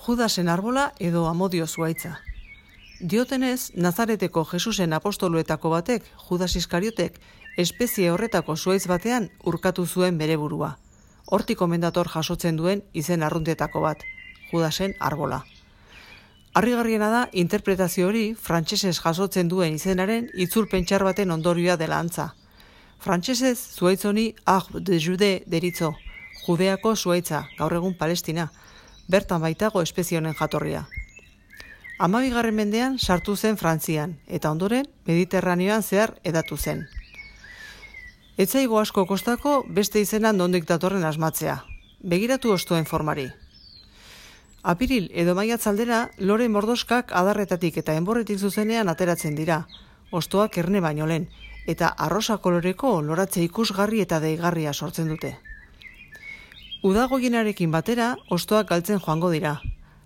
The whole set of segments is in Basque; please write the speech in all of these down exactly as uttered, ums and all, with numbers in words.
Judasen arbola edo amodio zuaitza. Diotenez, Nazareteko Jesusen apostoluetako batek, Judas Iskariotek, espezie horretako zuaitz batean urkatu zuen bere burua. Hortik omendator jasotzen duen izen arruntetako bat, Judasen arbola. Harrigarriena da, interpretazio hori frantsesez jasotzen duen izenaren itzulpentsar baten ondorioa dela antza. Frantsesez zuaitz honi Arbre de Jude deritzo, Judeako zuaitza, gaur egun Palestina, bertan baitago espezie honen jatorria. Hamabigarren mendean sartu zen Frantzian, eta ondoren Mediterraneoan zehar hedatu zen. Etzaigo asko kostako beste izenan nondik datorren asmatzea. Begiratu hostoen formari. Apiril edo maiatz aldera, lore mordoskak adarretatik eta enborretik zuzenean ateratzen dira, hostoak erne baino lehen, eta arrosa koloreko loratze ikusgarri eta deigarria sortzen dute. Udagoienarekin batera, hostoak galtzen joango dira.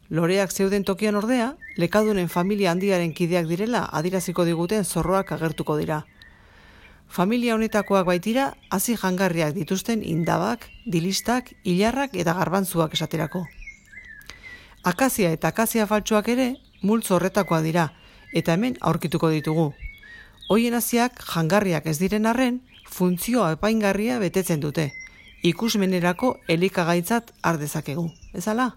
Loreak zeuden tokian ordea, lekadunen familia handiaren kideak direla adiraziko diguten zorroak agertuko dira. Familia honetakoak baitira, hazi jangarriak dituzten indabak, dilistak, ilarrak eta garbantzuak esaterako. Akazia eta akazia faltsuak ere, multzo horretakoak dira, eta hemen aurkituko ditugu. Hoien haziak jangarriak ez diren arren, funtzioa epaingarria betetzen dute. Ikusmenerako elikagaitzat har dezakegu, ezala?